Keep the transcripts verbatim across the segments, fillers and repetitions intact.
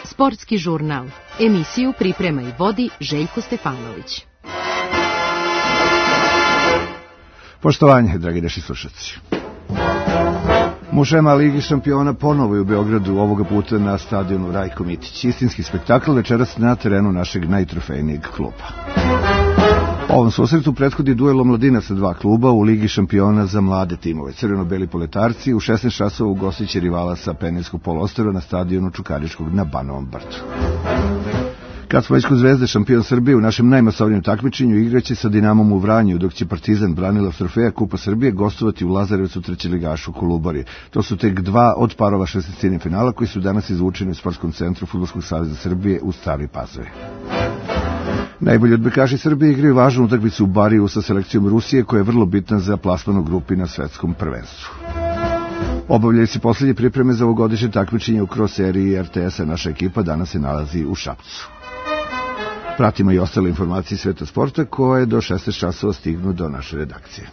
Sportski žurnal. Emisiju priprema i vodi Željko Stefanović. Poštovanje, dragi naši slušalci. Mušema Ligi šampiona ponovo je u Beogradu, ovoga puta na stadionu Rajko Mitić. Istinski spektakl večeras na terenu našeg najtrofejnijeg kluba. Ovom susretu prethodi duel omladinaca dva kluba u Ligi šampiona za mlade timove. Crveno-beli poletarci u šesnaest časova ugostiće rivala sa Penijskog poluostrva na stadionu Čukaričkog na Banovom Brdu. Kad smo već kod Zvezde, šampion Srbije u našem najmasovnijem takmičenju igraće sa Dinamom u Vranju, dok će Partizan, branilac trofeja Kupa Srbije, gostovati u Lazarevcu trećeligašu Kolubari. To su tek dva od parova šestnaestine finala koji su danas izvučeni u Sportskom centru Fudbalskog saveza Srbije u Staroj Pazovi. Najbolji odbojkaši Srbije igraju važnu utakmicu u Bariju sa selekcijom Rusije, koja je vrlo bitna za plasman u grupi na svetskom prvenstvu. Obavljaju se posljednje pripreme za ovogodišnje takmičenje u cross seriji R T S-a. Naša ekipa danas se nalazi u Šapcu. Pratimo i ostale informacije sveta sporta koje do šesnaest časova stignu do naše redakcije.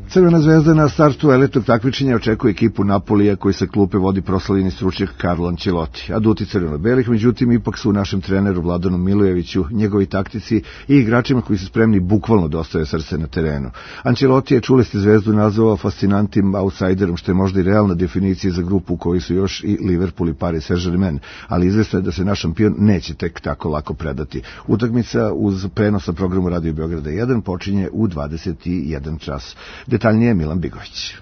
Crvena zvezda na startu elitnog takmičenja očekuje ekipu Napolija koji sa klupe vodi proslavljeni stručnjak Carlo Ancelotti. Aduti crveno-belih, međutim, ipak su u našem treneru Vladanu Milojeviću, njegovi taktici i igračima koji su spremni bukvalno da ostave srce na terenu. Ancelotti je, čuli ste, zvezdu nazvao fascinantnim outsiderom, što je možda i realna definicija za grupu u kojoj su još i Liverpool i Paris Saint-Germain, ali izvesno je da se naš šampion neće tek tako lako predati. Utakmica uz prenos na programu Radio Beograda jedan počinje u dvadeset jedan čas. Detaljnije Milan Bigović.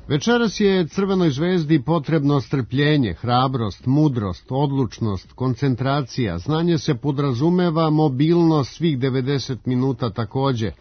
Večeras je Crvenoj zvezdi potrebno strpljenje, hrabrost, mudrost, odlučnost, koncentracija. Znanje se podrazumeva, mobilnost svih devedeset minuta takođe.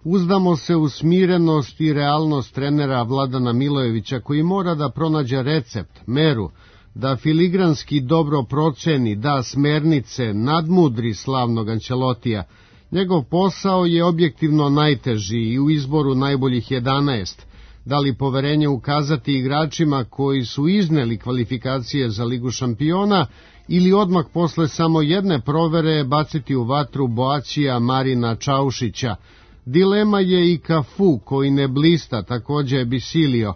Uzdamo se u smirenost i realnost trenera Vladana Milojevića, koji mora da pronađe recept, meru, da filigranski dobro proceni, da smernice, nadmudri slavnog Ancelotija. Njegov posao je objektivno najteži i u izboru najboljih jedanaest. Da li poverenje ukazati igračima koji su izneli kvalifikacije za Ligu šampiona ili odmah posle samo jedne provere baciti u vatru Boacija Marina Čaušića. Dilema je i Cafu koji ne blista, takođe je Bisilio.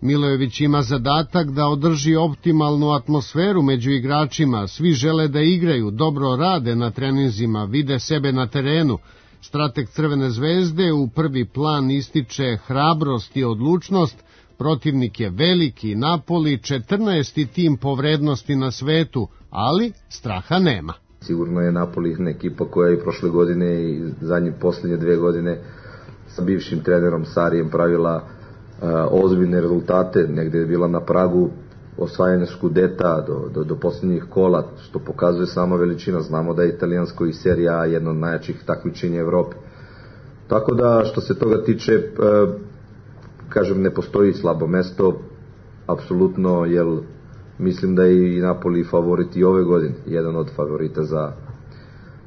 Milojević ima zadatak da održi optimalnu atmosferu među igračima, svi žele da igraju, dobro rade na treninzima, vide sebe na terenu. Strateg Crvene zvezde u prvi plan ističe hrabrost i odlučnost, protivnik je veliki, Napoli četrnaesti tim po vrednosti na svetu, ali straha nema. Sigurno je Napoli ekipa koja je i prošle godine i zadnje posljednje dve godine sa bivšim trenerom Sarijem pravila ozbiljne rezultate, negde je bila na pragu osvajanja Skudeta do, do, do posljednjih kola, što pokazuje sama veličina. Znamo da je italijansko i serija A jedno od najjačih takmičenja Evrope. Tako da, što se toga tiče, e, kažem, ne postoji slabo mesto, apsolutno, jer mislim da je i Napoli favorit i ove godine, jedan od favorita za,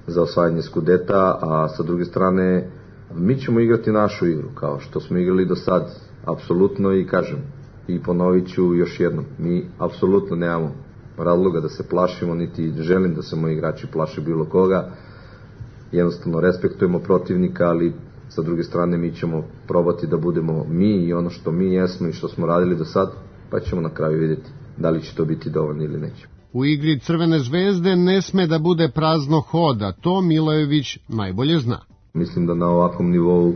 za osvajanje Skudeta, a sa druge strane, mi ćemo igrati našu igru, kao što smo igrali do sad, apsolutno, i kažem, i ponovit ću još jednom, mi apsolutno nemamo razloga da se plašimo, niti želim da se moji igrači plaše bilo koga, jednostavno respektujemo protivnika, ali sa druge strane mi ćemo probati da budemo mi i ono što mi jesmo i što smo radili do sad, pa ćemo na kraju vidjeti da li će to biti dovoljno ili neće. U igri Crvene zvezde ne sme da bude prazno hoda, to Milojević najbolje zna. Mislim da na ovakvom nivou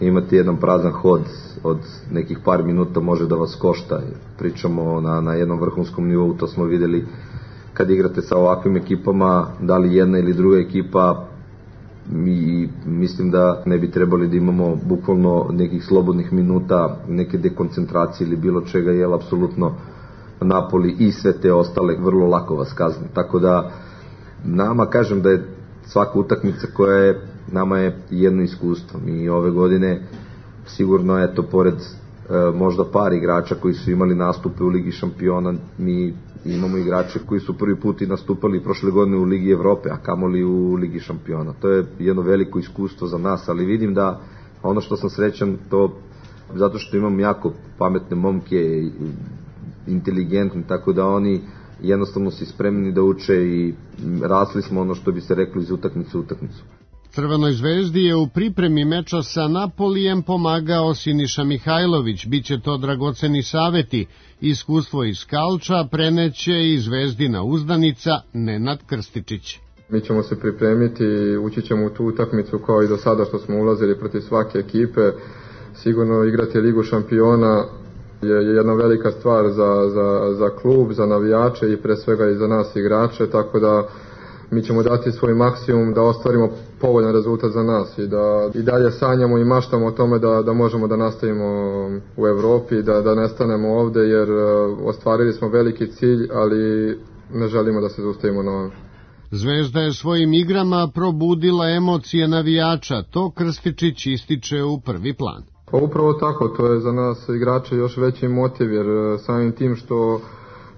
imati jedan prazan hod od nekih par minuta može da vas košta. Pričamo na, na jednom vrhunskom nivou, to smo videli kad igrate sa ovakvim ekipama, da li jedna ili druga ekipa, i mislim da ne bi trebali da imamo bukvalno nekih slobodnih minuta, neke dekoncentracije ili bilo čega, jer apsolutno Napoli i sve te ostale vrlo lako vas kazne. Tako da nama, kažem da je svaka utakmica koja je, nama je jedno iskustvo. Mi ove godine sigurno, eto, pored e, možda par igrača koji su imali nastupe u Ligi šampiona, mi imamo igrače koji su prvi put i nastupali prošle godine u Ligi Evrope, a kamoli u Ligi šampiona. To je jedno veliko iskustvo za nas, ali vidim da ono što sam srećan, to zato što imam jako pametne momke, inteligentni, tako da oni jednostavno su spremni da uče i rasli smo, ono što bi se reklo, iz utakmice u utakmicu. Crvenoj zvezdi je u pripremi meča sa Napolijem pomagao Siniša Mihajlović. Biće to dragoceni saveti. Iskustvo iz Kalča preneće i zvezdina uzdanica Nenad Krstičić. Mi ćemo se pripremiti i ući ćemo u tu utakmicu kao i do sada što smo ulazili protiv svake ekipe. Sigurno igrati Ligu šampiona je jedna velika stvar za, za, za klub, za navijače i pre svega i za nas igrače, tako da mi ćemo dati svoj maksimum da ostvarimo povoljan rezultat za nas i da i dalje sanjamo i maštamo o tome da, da možemo da nastavimo u Evropi, da, da ne stanemo ovde jer ostvarili smo veliki cilj, ali ne želimo da se zaustavimo na ovom. Zvezda je svojim igrama probudila emocije navijača, to Krstičić ističe u prvi plan. Pa upravo tako, to je za nas igrače još veći motiv, jer samim tim što,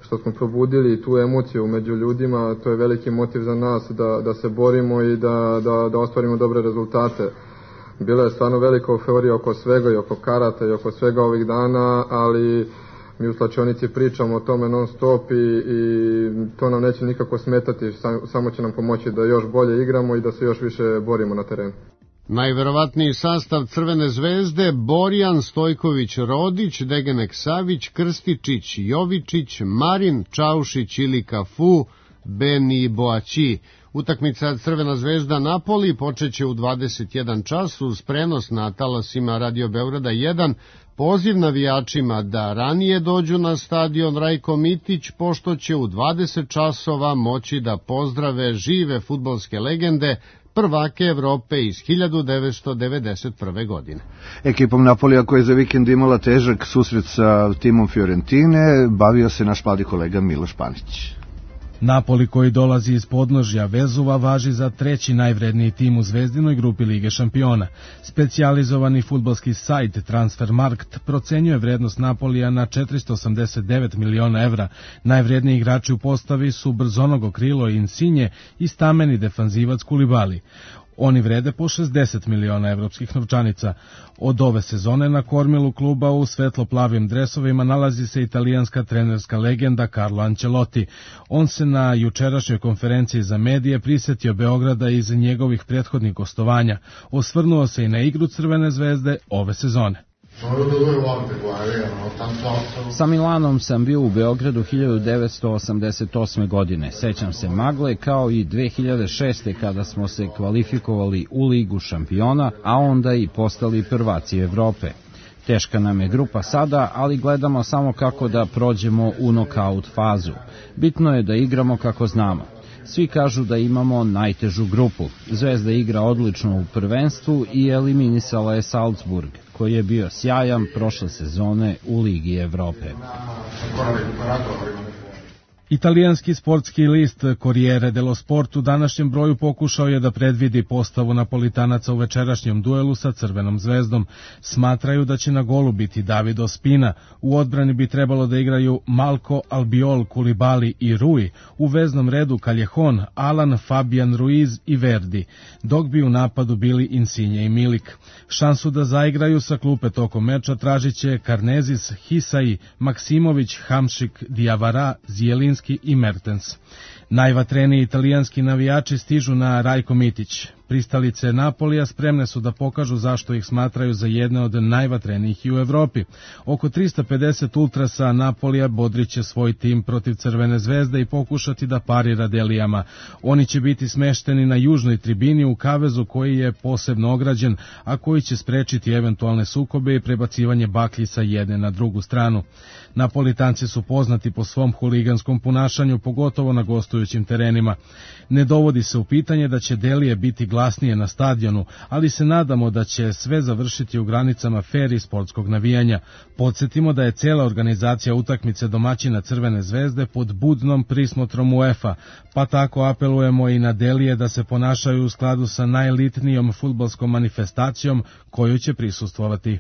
što smo probudili tu emociju među ljudima, to je veliki motiv za nas da, da se borimo i da, da, da ostvarimo dobre rezultate. Bila je stvarno velika euforija oko svega i oko karata i oko svega ovih dana, ali mi u slačionici pričamo o tome non stop i, i to nam neće nikako smetati, sam, samo će nam pomoći da još bolje igramo i da se još više borimo na terenu. Najverovatniji sastav Crvene zvezde: Borjan Stojković, Rodić, Degenek Savić, Krstičić, Jovičić, Marin, Čaušić ili Kafu, Beni Boaći. Utakmica Crvena zvezda Napoli počeće u dvadeset jedan čas uz prenos na talasima Radio Beograda jedan. Poziv navijačima da ranije dođu na stadion Rajko Mitić, pošto će u dvadeset časova moći da pozdrave žive fudbalske legende, prvake Evrope iz hiljadu devetsto devedeset prve. godine. Ekipom Napolija koja je za vikend imala težak susret sa timom Fiorentine, bavio se naš mladi kolega Miloš Panić. Napoli, koji dolazi iz podnožja Vezuva, važi za treći najvredniji tim u zvezdinoj grupi Lige šampiona. Specijalizovani fudbalski sajt Transfermarkt procenjuje vrednost Napolija na četiristo osamdeset devet miliona evra. Najvredniji igrači u postavi su brzonogo krilo Insigne i stameni defanzivac Kulibali. Oni vrede po šezdeset miliona evropskih novčanica. Od ove sezone na kormilu kluba u svetlo-plavim dresovima nalazi se italijanska trenerska legenda Carlo Ancelotti. On se na jučerašnjoj konferenciji za medije prisetio Beograda iz njegovih prethodnih gostovanja. Osvrnuo se i na igru Crvene zvezde ove sezone. Sa Milanom sam bio u Beogradu hiljadu devetsto osamdeset osme. godine. Sećam se magle kao i dve hiljade šeste. kada smo se kvalifikovali u Ligu šampiona, a onda i postali prvaci Evrope. Teška nam je grupa sada, ali gledamo samo kako da prođemo u nokaut fazu. Bitno je da igramo kako znamo. Svi kažu da imamo najtežu grupu. Zvezda igra odlično u prvenstvu i eliminisala je Salzburg, koji je bio sjajan prošle sezone u Ligi Evrope. Italijanski sportski list Corriere dello Sport u današnjem broju pokušao je da predvidi postavu Napolitanaca u večerašnjem duelu sa Crvenom zvezdom. Smatraju da će na golu biti David Ospina, u odbrani bi trebalo da igraju Malko, Albiol, Kulibali i Rui, u veznom redu Callejon, Alan, Fabian Ruiz i Verdi, dok bi u napadu bili Insigne i Milik. Šansu da zaigraju sa klupe tokom meča tražit će Karnezis, Hisai, Maksimović, Hamšik, Diavara, Zjelinski i Mertens. Najvatreniji italijanski navijači stižu na Rajko Mitić. Pristalice Napolija spremne su da pokažu zašto ih smatraju za jedne od najvatrenijih i u Evropi. Oko trista pedeset ultrasa Napolija bodriće svoj tim protiv Crvene zvezde i pokušati da parira Delijama. Oni će biti smešteni na južnoj tribini u kavezu koji je posebno ograđen, a koji će sprečiti eventualne sukobe i prebacivanje baklji sa jedne na drugu stranu. Napolitanci su poznati po svom huliganskom ponašanju, pogotovo na gostujućim terenima. Ne dovodi se u pitanje da će Delije biti glasnije na stadionu, ali se nadamo da će sve završiti u granicama fer i sportskog navijanja. Podsjetimo da je cela organizacija utakmice domaćina Crvene zvezde pod budnom prismotrom UEFA, pa tako apelujemo i na Delije da se ponašaju u skladu sa najelitnijom fudbalskom manifestacijom koju će prisustvovati.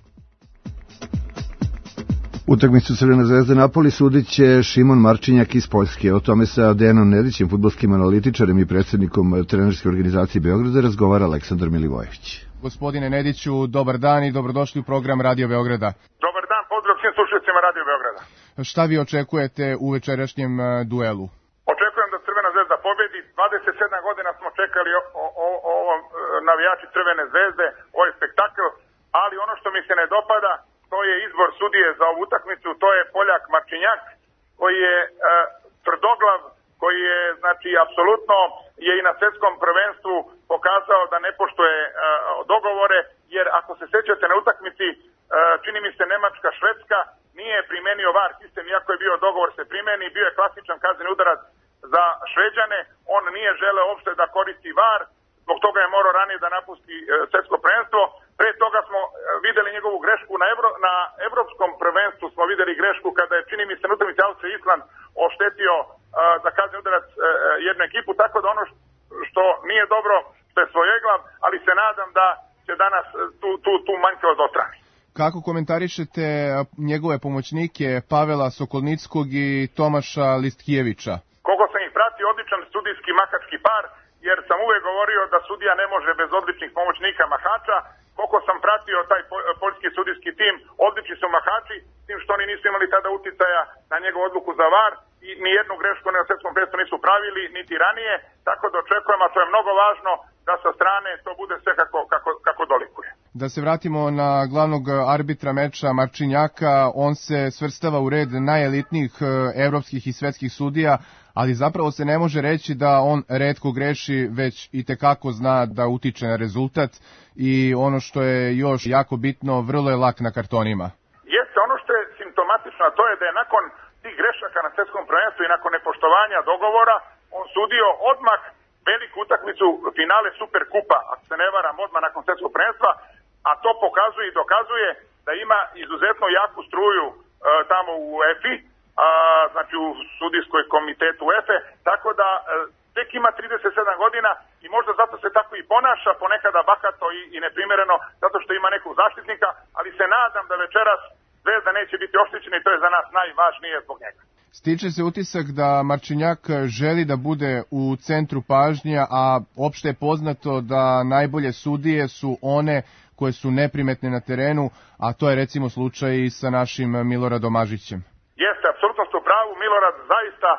Utakmicu Crvene zvezde Napoli sudit će Šimon Marčinjak iz Poljske. O tome sa Dejanom Nedićem, fudbalskim analitičarem i predsjednikom trenerske organizacije Beograda, razgovara Aleksandar Milivojević. Gospodine Nediću, dobar dan i dobrodošli u program Radio Beograda. Dobar dan, pozdrav svim slušateljima Radio Beograda. Šta vi očekujete u večerašnjem duelu? Očekujem da Crvena zvezda pobedi sebi, dvadeset sedam godina smo čekali o, o, o, o navijači Crvene zvezde, ovaj spektakl, ali ono što mi se ne dopada, to je izbor sudije za ovu utakmicu, to je Poljak Marčinjak, koji je e, tvrdoglav, koji je, znači, apsolutno je i na svetskom prvenstvu pokazao da ne poštuje e, dogovore, jer ako se sećate na utakmici, e, čini mi se Nemačka-Švedska, nije primenio VAR sistem, iako je bio dogovor se primeni, bio je klasičan kazneni udarac za Šveđane, on nije želeo uopšte da koristi VAR, zbog toga je morao ranije da napusti e, svetsko prvenstvo. Pre toga smo e, videli njegovu grešku na, Evro, na evropskom prvenstvu, smo videli grešku kada je, čini mi se, na utakmici Austrija Island oštetio e, za kazneni udarac e, jednu ekipu, tako da ono što nije dobro, što je svojeglav, ali se nadam da će danas tu, tu, tu manjkavost odstrani. Kako komentarišete njegove pomoćnike Pavela Sokolnickog i Tomaša Listkijevića? Koliko sam ih pratio, odličan sudijski mahački par, jer sam uvek govorio da sudija ne može bez odličnih pomoćnika mahača. Koliko sam pratio taj poljski sudijski tim, odlični su mahači, s tim što oni nisu imali tada uticaja na njegovu odluku za VAR i ni jednu grešku na svetskom prvenstvu nisu pravili, niti ranije, tako da očekujem, a to je mnogo važno, da sa strane to bude sve kako, kako, kako dolikuje. Da se vratimo na glavnog arbitra meča Marčinjaka, on se svrstava u red najelitnijih evropskih i svetskih sudija, ali zapravo se ne može reći da on retko greši, već i tekako zna da utiče na rezultat i ono što je još jako bitno, vrlo je lak na kartonima. Jeste, ono što je simptomatično, to je da je nakon tih grešaka na svetskom prvenstvu i nakon nepoštovanja dogovora, on sudio odmah veliku utakmicu finale Superkupa, ako se ne varam, odmah nakon svetskog prvenstva, a to pokazuje i dokazuje da ima izuzetno jaku struju e, tamo u UEFA, a, znači u sudijskoj komitetu UEFA, tako da e, tek ima trideset sedam godina i možda zato se tako i ponaša, ponekada bahato i, i neprimereno, zato što ima nekog zaštitnika, ali se nadam da večeras Zvezda neće biti oštećena i to je za nas najvažnije zbog njega. Stiče se utisak da Marčinjak želi da bude u centru pažnja, a opšte je poznato da najbolje sudije su one koje su neprimetne na terenu, a to je recimo slučaj i sa našim Miloradom Mažićem. Jeste, apsolutno ste u pravu, Milorad zaista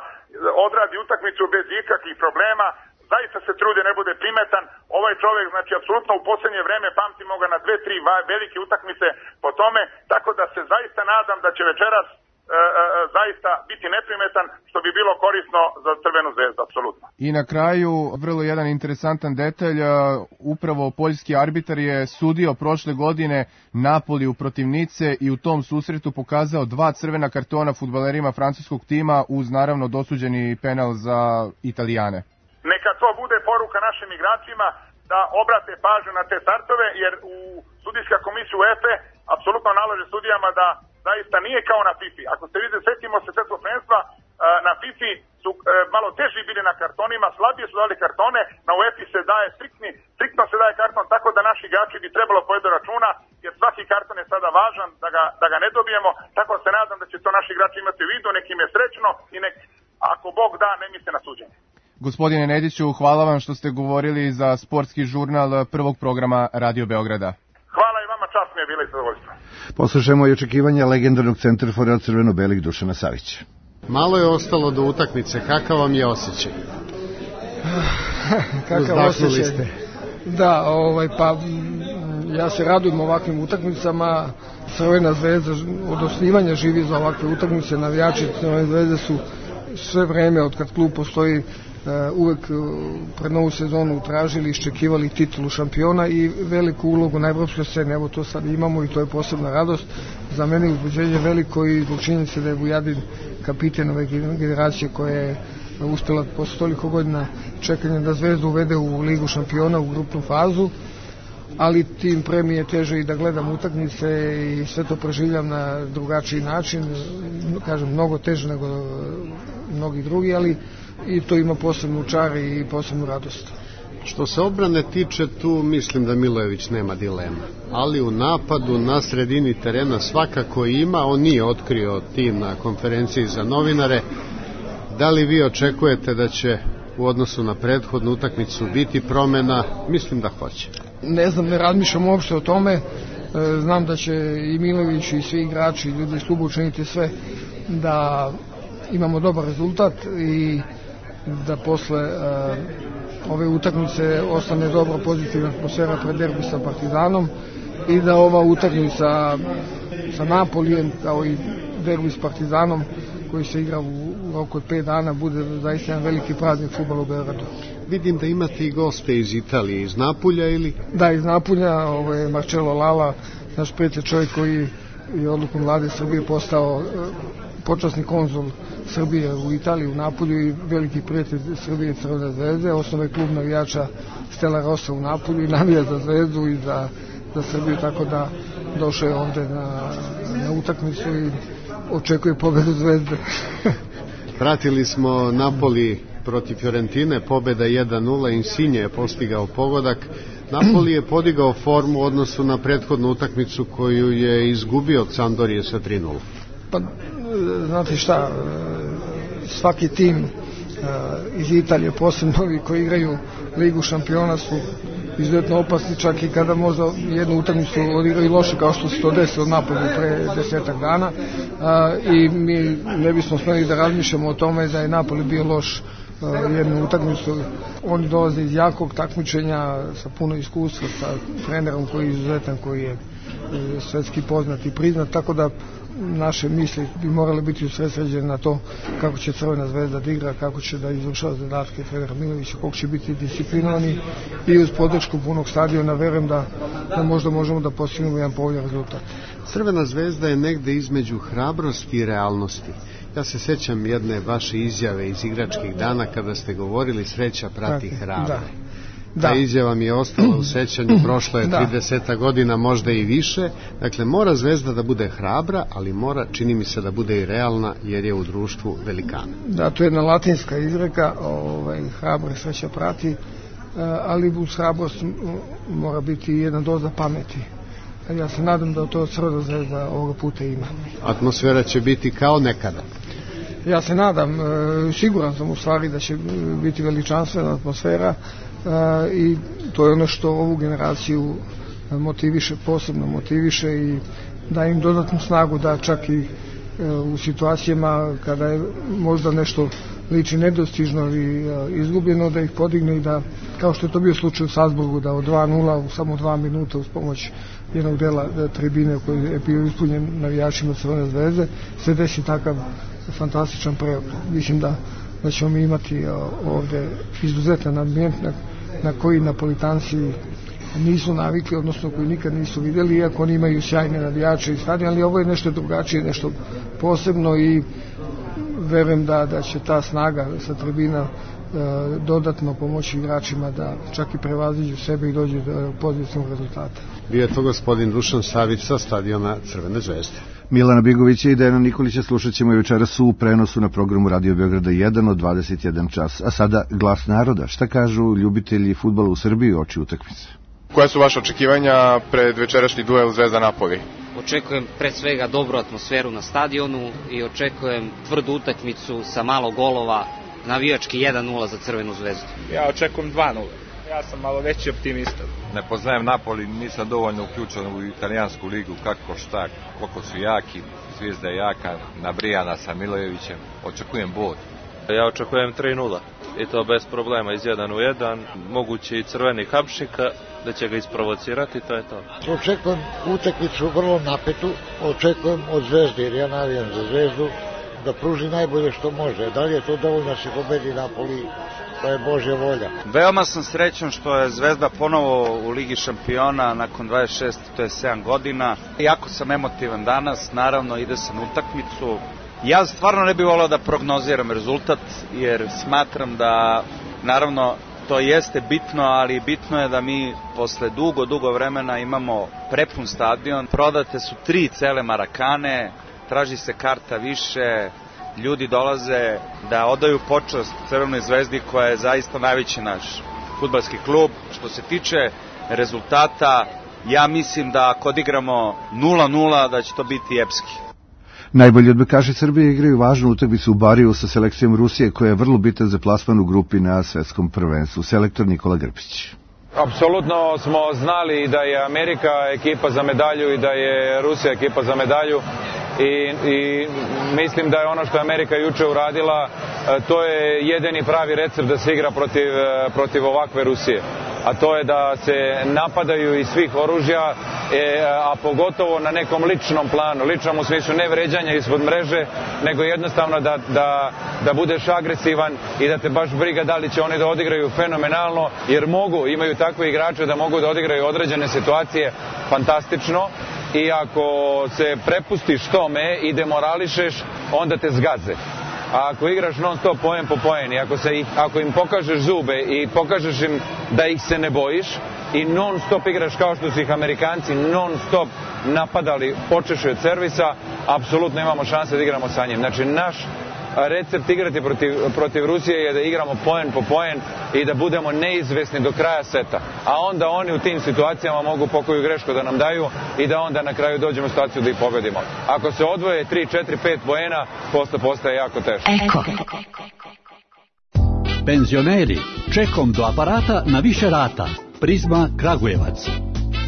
odradi utakmicu bez ikakvih problema, zaista se trudi ne bude primetan. Ovaj čovjek, znači, apsolutno u posljednje vreme pamtimo ga na dve, tri velike utakmice po tome, tako da se zaista nadam da će večeras e, e, zaista biti neprimetan, što bi bilo korisno za Crvenu zvezdu, apsolutno. I na kraju, vrlo jedan interesantan detalj, upravo poljski arbitar je sudio prošle godine Napoliju protiv Nice i u tom susretu pokazao dva crvena kartona fudbalerima francuskog tima uz naravno dosuđeni penal za Italijane. Neka to bude poruka našim igračima da obrate pažnju na te startove, jer u sudijska komisija UEFA apsolutno nalaže sudijama da zaista nije kao na FIFA. Ako ste vidjeli, setimo se svetskog prvenstva, na FIFA su malo teži bili na kartonima, slabije su dali kartone, na UEFA se daje striktni, striktno se daje karton, tako da naši igrači bi trebalo povedati računa, jer svaki karton je sada važan da ga, da ga ne dobijemo, tako se nadam da će to naši igrači imati u vidu, nek im je srećno i nek, ako Bog da, ne misle na suđenje. Gospodine Nediću, hvala vam što ste govorili za sportski žurnal prvog programa Radio Beograda. Hvala i vama, čast mi je bila i zadovoljstvo. Poslušajmo i očekivanja legendarnog centarfora crveno-belih Dušana Savića. Malo je ostalo do utakmice, kakav vam je osjećaj? Kakav osjećaj? Ste. Da, ovaj, pa ja se radujem ovakvim utakmicama. Crvena zvezda od osnivanja živi za ovakve utakmice, navijači Crvene zvezde su sve vreme od kad klub postoji uvek pred novu sezonu tražili i iščekivali titulu šampiona i veliku ulogu na evropskoj sceni. Evo to sad imamo i to je posebna radost. Za mene je uzbuđenje veliko i zbog činjenice da je Vujadin kapiten ove generacije koja je uspela posle toliko godina čekanja da Zvezdu uvede u ligu šampiona u grupnu fazu, ali tim pre mi je teže i da gledam utakmice i sve to preživljam na drugačiji način, kažem mnogo teže nego mnogi drugi, ali i to ima posebnu čar i posebnu radost. Što se odbrane tiče, tu mislim da Milojević nema dilema, ali u napadu na sredini terena svakako ima, on nije otkrio tim na konferenciji za novinare. Da li vi očekujete da će u odnosu na prethodnu utakmicu biti promena? Mislim da hoće. Ne znam, ne razmišljam uopšte o tome, znam da će i Milojević i svi igrači i ljudi iz kluba učiniti sve da imamo dobar rezultat i da posle uh, ove utakmice ostane dobro pozitivna atmosfera pred derbi sa Partizanom i da ova utakmica sa Napolijem kao i derbi s Partizanom koji se igra u roku od pet dana bude zaista jedan veliki praznik fudbala u Beogradu. Vidim da imate i goste iz Italije, iz Napulja ili? Da, iz Napulja, ovo je Marcello Lala, naš prijatelj, čovjek koji je odlukom vlade Srbije postao počasni konzul Srbije u Italiji, u Napulju i veliki prijatelj Srbije Crvene zvezde, osnovno je klub navijača Stella Rossa u Napulju i navija za Zvezdu i za, za Srbiju, tako da došao je ovde na, na utakmicu i očekuje pobedu Zvezde. Pratili smo Napoli protiv Fiorentine, pobeda jedan nula, Insigne je postigao pogodak. Napoli je podigao formu u odnosu na prethodnu utakmicu koju je izgubio od Sampdorije sa tri nula. Pa, znate šta, svaki tim iz Italije, posebno ovi koji igraju Ligu šampiona, su izuzetno opasni, čak i kada možda jednu utakmicu odigraju loše, kao što se to desilo Napolju pre desetak dana, i mi ne bismo smeli da razmišljamo o tome da je Napoli bio loš jednu utakmicu. Oni dolaze iz jakog takmičenja sa puno iskustva, sa trenerom koji je izuzetan, koji je svetski poznat i priznat, tako da naše misli bi morale biti usredsređene na to kako će Crvena zvezda da igra, kako će da izvršava zadatke trenera Milovića, kako će biti disciplinovani i uz podršku punog stadiona verujem da, da možda možemo da postignemo jedan povoljan rezultat. Crvena zvezda je negde između hrabrosti i realnosti. Ja se sećam jedne vaše izjave iz igračkih dana kada ste govorili sreća prati hrabre. Da. Ta izjava mi je ostala u sećanju, prošlo je trideset godina, možda i više. Dakle, mora Zvezda da bude hrabra, ali mora, čini mi se, da bude i realna, jer je u društvu velikana. Da, to je jedna latinska izreka, ovaj, hrabra sreća prati, ali uz hrabrost mora biti jedna doza pameti. Ja se nadam da to Crvena Zvezda ovoga puta ima. Atmosfera će biti kao nekada. Ja se nadam, siguran sam u stvari da će biti veličanstvena atmosfera, i to je ono što ovu generaciju motiviše, posebno motiviše i da im dodatnu snagu da čak i u situacijama kada je možda nešto liči nedostižno i izgubljeno, da ih podigne i da, kao što je to bio slučaj u Salzburgu, da od dva nula u samo dva minuta uz pomoć jednog dela tribine koji je bio ispunjen navijačima Crvene zvezde se desi takav fantastičan preokret. Mislim da, da ćemo mi imati ovde izuzetan ambijent na, na koji Napolitanci nisu navikli, odnosno koji nikad nisu vidjeli, iako oni imaju sjajne navijače i stadion, ali ovo je nešto drugačije, nešto posebno i verujem da, da će ta snaga sa tribina e, dodatno pomoći igračima da čak i prevaziđu sebe i dođu do pozitivnog rezultata. Bio je to gospodin Dušan Savić sa stadiona Crvene zvezde. Milana Bigovića i Dejana Nikolića slušat ćemo i večeras u prenosu na programu Radio Beograda jedan od dvadeset jedan čas. A sada Glas naroda. Šta kažu ljubitelji fudbala u Srbiji oči utakmice? Koja su vaše očekivanja pred večerašnji duel Zvezda-Napoli? Očekujem pre svega dobru atmosferu na stadionu i očekujem tvrdu utakmicu sa malo golova, navijački jedan nula za Crvenu zvezdu. Ja očekujem dva nula. Ja sam malo veći optimista. Ne poznajem Napoli, nisam dovoljno uključen u italijansku ligu, kako šta, koliko su jaki, Zvijezda je jaka, nabrijana sa Milojevićem, očekujem bod. Ja očekujem tri nula i to bez problema iz jedan u jedan, moguće i crveni hapšnika da će ga isprovocirati, to je to. Očekujem utakmicu vrlo napetu, očekujem od Zvezde, jer ja navijam za Zvezdu, da pruži najbolje što može. Da li je to dovoljno da se pobedi Napoli? To je Božja volja. Veoma sam srećan što je Zvezda ponovo u Ligi šampiona nakon dvadeset šest, to je sedam godina. Jako sam emotivan danas, naravno ide sam na utakmicu. Ja stvarno ne bih volao da prognoziram rezultat, jer smatram da, naravno, to jeste bitno, ali bitno je da mi posle dugo, dugo vremena imamo prepun stadion. Prodate su tri cele Marakane, traži se karta više, ljudi dolaze da odaju počast Crvenoj zvezdi koja je zaista najveći naš fudbalski klub. Što se tiče rezultata, ja mislim da ako odigramo nula nula da će to biti epski. Najbolji odbojkaši Srbije igraju važnu utakmicu u Bariju sa selekcijom Rusije koja je vrlo bitan za plasman u grupi na svetskom prvenstvu. Selektor Nikola Grbić. Apsolutno smo znali da je Amerika ekipa za medalju i da je Rusija ekipa za medalju i, i mislim da je ono što je Amerika juče uradila to je jedini pravi recept da se igra protiv, protiv ovakve Rusije. A to je da se napadaju iz svih oružja, e, a pogotovo na nekom ličnom planu, ličnom u smislu ne vređanja ispod mreže, nego jednostavno da, da, da budeš agresivan i da te baš briga da li će oni da odigraju fenomenalno, jer mogu, imaju takve igrače da mogu da odigraju određene situacije fantastično, i ako se prepustiš tome i demorališeš, onda te zgaze. A ako igraš non stop poen po poen i ako, se, ako im pokažeš zube i pokažeš im da ih se ne bojiš i non stop igraš kao što su ih Amerikanci non stop napadali počeši od servisa, apsolutno imamo šanse da igramo sa njim. Znači naš recept igrati protiv, protiv Rusije je da igramo poen po poen i da budemo neizvesni do kraja seta. A onda oni u tim situacijama mogu pokoju grešku da nam daju i da onda na kraju dođemo u situaciju da ih pobedimo. Ako se odvoje tri, četiri, pet poena, posle postaje jako teško. Eko. Penzioneri, čekom do aparata na više rata. Prizma Kragujevac.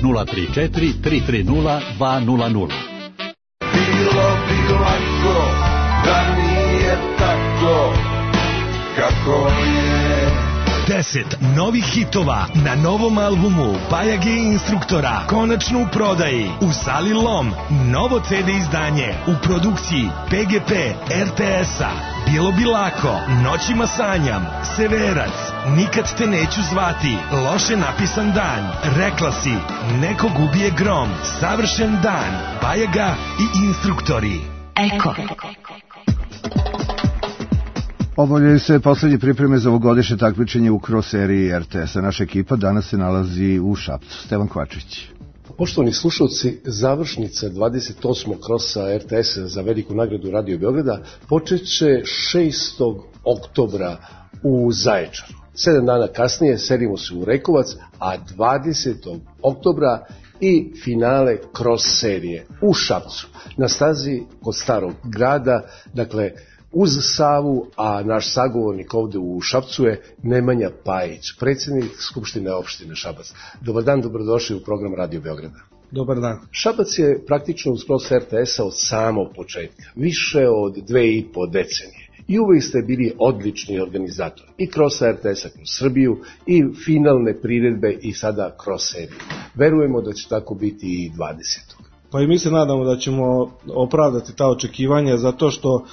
nula tri četiri tri tri nula dva nula nula. Bilo bi lako da nije tako kako je. Deset novih hitova na novom albumu Bajage Instruktora konačno u prodaji u sali Lom. Novo ce de izdanje u produkciji pe ge pe er te es-a. Bilo bi lako, Noćima sanjam, Severac, Nikad te neću zvati, Loše napisan dan, Rekla si, Nekog ubije grom, Savršen dan, Bajaga i Instruktori. Eko. Obavljaju se poslednje pripreme za ovogodišnje takmičenje u cross seriji er te es-a. Naša ekipa danas se nalazi u Šapcu. Stevan Kvačić. Poštovani slušalci, završnica dvadeset osmog krosa er te es-a za veliku nagradu Radio Beograda počeće šestog oktobra u Zaječaru. Sedam dana kasnije selimo se u Rekovac, a dvadesetog oktobra i finale cross serije u Šapcu, na stazi kod Starog grada, dakle uz Savu, a naš sagovornik ovde u Šapcu je Nemanja Pajić, predsjednik Skupštine opštine Šabac. Dobar dan, dobrodošli u program Radio Beograda. Dobar dan. Šabac je praktično uz cross er te es-a od samog početka, više od dve i po decenije. I uvijek ste bili odlični organizator. I cross er te es-a kroz Srbiju, i finalne priredbe, i sada cross seriju. Verujemo da će tako biti i dvadesetog. Pa i mi se nadamo da ćemo opravdati ta očekivanja, zato što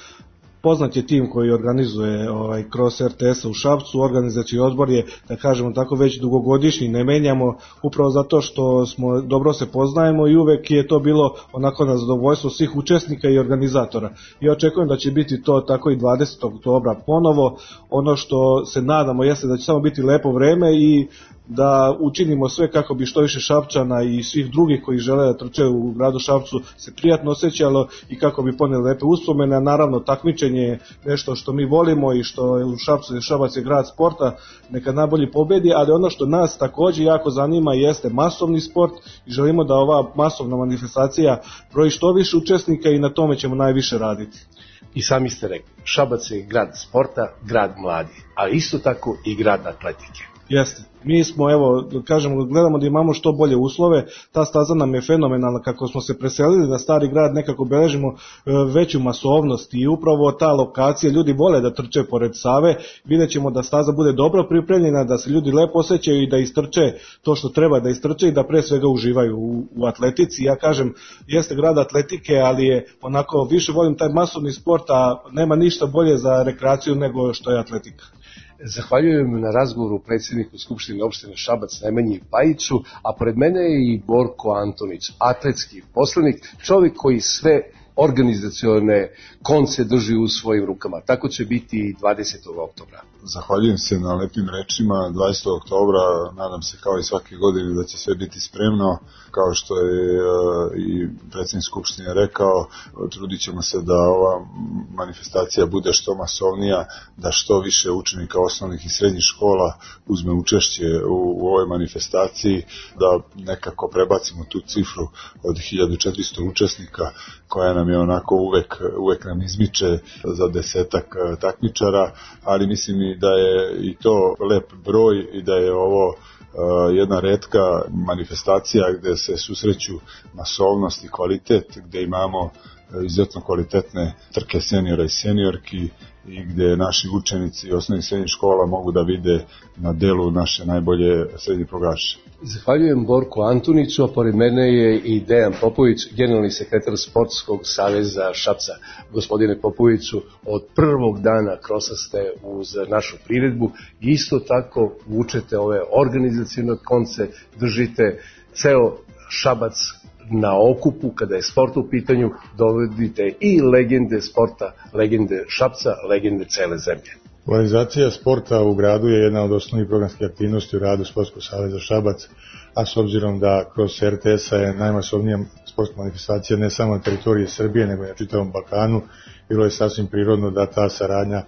poznat je tim koji organizuje ovaj cross er te es-a u Šapcu. Organizacijski odbor je, da kažemo tako, već dugogodišnji, ne menjamo, upravo zato što smo dobro se poznajemo i uvek je to bilo onako na zadovoljstvo svih učesnika i organizatora. I očekujem da će biti to tako i dvadesetog oktobra ponovo. Ono što se nadamo jeste da će samo biti lepo vreme i da učinimo sve kako bi što više Šapčana i svih drugih koji žele da trče u gradu Šapcu se prijatno osjećalo i kako bi poneli lepe uspomene. Naravno, takmičenje je nešto što mi volimo i što je u Šapcu, Šabac je grad sporta, neka najbolji pobedi, ali ono što nas takođe jako zanima jeste masovni sport i želimo da ova masovna manifestacija broji što više učesnika i na tome ćemo najviše raditi. I sami ste rekli, Šabac je grad sporta, grad mladi, ali isto tako i grad atletike. Jeste. Mi smo, evo, kažemo, gledamo da imamo što bolje uslove, ta staza nam je fenomenalna, kako smo se preselili da Stari grad nekako beležimo veću masovnost i upravo ta lokacija, ljudi vole da trče pored Save, vidjet ćemo da staza bude dobro pripremljena, da se ljudi lepo osjećaju i da istrče to što treba da istrče i da pre svega uživaju u, u atletici. Ja kažem, jeste grad atletike, ali je onako, više volim taj masovni sport, a nema ništa bolje za rekreaciju nego što je atletika. Zahvaljujem na razgovoru predsjedniku Skupštine opštine Šabac Nemanji Pajiću, a pored mene je i Borko Antonić, atletski poslanik, čovjek koji sve organizacione konce drži u svojim rukama. Tako će biti i dvadesetog oktobra. Zahvaljujem se na lepim rečima. dvadesetog oktobra nadam se kao i svake godine da će sve biti spremno. Kao što je i predsjednik Skupštine rekao, trudit ćemo se da ova manifestacija bude što masovnija, da što više učenika osnovnih i srednjih škola uzme učešće u, u ovoj manifestaciji, da nekako prebacimo tu cifru od hiljadu četiristo učesnika koja nam je onako uvek, uvek nam izmiče za desetak takmičara, ali mislim i da je i to lep broj i da je ovo jedna retka manifestacija gde se susreću masovnost i kvalitet, gde imamo izuzetno kvalitetne trke seniora i seniorki i gde naši učenici osnovnih srednjih škola mogu da vide na delu naše najbolje srednje proglaše. Zahvaljujem Borku Antuniću, a pored mene je i Dejan Popović, generalni sekretar Sportskog saveza Šapca. Gospodine Popoviću, od prvog dana krosa ste uz našu priredbu i isto tako vučete ove organizacijne konce, držite ceo Šabac na okupu kada je sport u pitanju, dovodite i legende sporta, legende Šapca, legende cele zemlje. Organizacija sporta u gradu je jedna od osnovnih programskih aktivnosti u radu Sportskog saveza Šabac, a s obzirom da kroz R T S-a je najmasovnija sportska manifestacija ne samo na teritoriji Srbije, nego i na čitavom Balkanu, bilo je sasvim prirodno da ta saradnja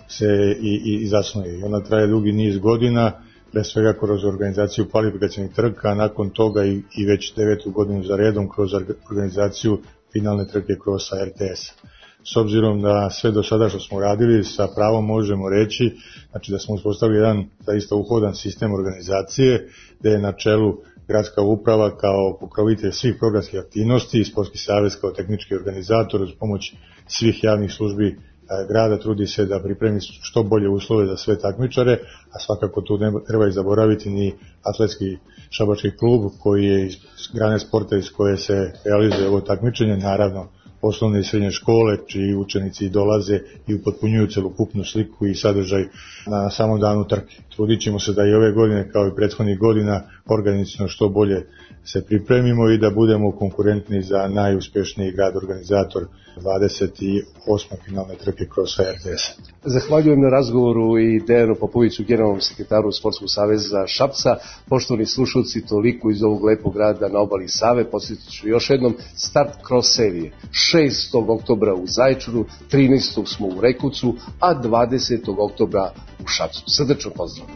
se i, i, i zasnuje. I ona traje dugi niz godina, pre svega kroz organizaciju kvalifikacijnih trka, a nakon toga i, i već devetu godinu za redom kroz organizaciju finalne trke krosa R T S-a. S obzirom da sve do sada što smo radili, sa pravom možemo reći, znači da smo uspostavili jedan zaista uhodan sistem organizacije, gde je na čelu gradska uprava kao pokrovitelj svih programskih aktivnosti i Sportski savez kao tehnički organizator uz pomoć svih javnih službi grada trudi se da pripremi što bolje uslove za sve takmičare, a svakako tu ne treba i zaboraviti ni atletski šabački klub koji je iz grane sporta iz koje se realizuje ovo takmičenje, naravno osnovne i srednje škole, čiji učenici dolaze i upotpunjuju celokupnu sliku i sadržaj na samom danu trke. Trudit ćemo se da i ove godine, kao i prethodnih godina, organizacijno što bolje se pripremimo i da budemo konkurentni za najuspešniji grad organizator dvadeset osme finalne trke krosa R T S-a. Zahvaljujem na razgovoru i Dejanu Popoviću, generalnom sekretaru Sportskog saveza Šapca. Poštovani slušalci, toliko iz ovog lepog grada na obali Save. Podsjetit ću još jednom, start cross serije šestog oktobra u Zaječaru, trinaestog smo u Rekucu, a dvadesetog oktobra u Šapcu. Srdačno pozdrav!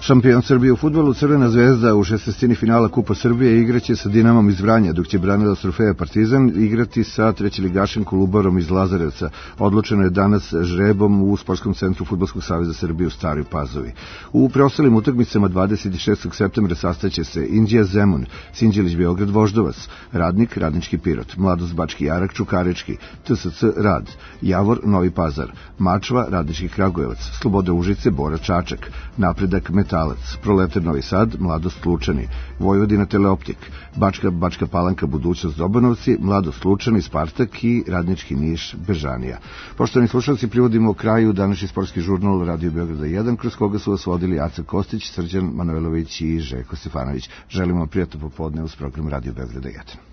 Šampion Srbije u fudbalu Crvena zvezda u šestnaestini finala Kupa Srbije igraće sa Dinamom iz Vranja, dok će branilac trofeja Partizan igrati sa trećeligašem Kolubarom iz Lazarevca. Odlučeno je danas žrebom u Sportskom centru Fudbalskog saveza Srbije u Staroj Pazovi. U preostalim utakmicama dvadeset šestog septembra sastaće se Inđija Zemun, Sinđelić Beograd Voždovac, Radnik Radnički Pirot, Mladost Bački Jarak Čukarički, T S C Rad, Javor Novi Pazar, Mačva Radnički Kragujevac, Sloboda Užice Bora Čačak, Napredak Metalac, Proletar Novi Sad, Mladost Lučani, Vojvodina Teleoptik, Bačka Bačka Palanka Budućnost Dobanovci, Mladost Lučani, Spartak i Radnički Niš Bežanija. Poštovani slušalci, privodimo kraju današnji sportski žurnal Radio Beograda jedan, kroz koga su vas vodili Aca Kostić, Srđan Manojlović i Željko Stefanović. Želimo prijatno popodne uz program Radio Beograda jedan.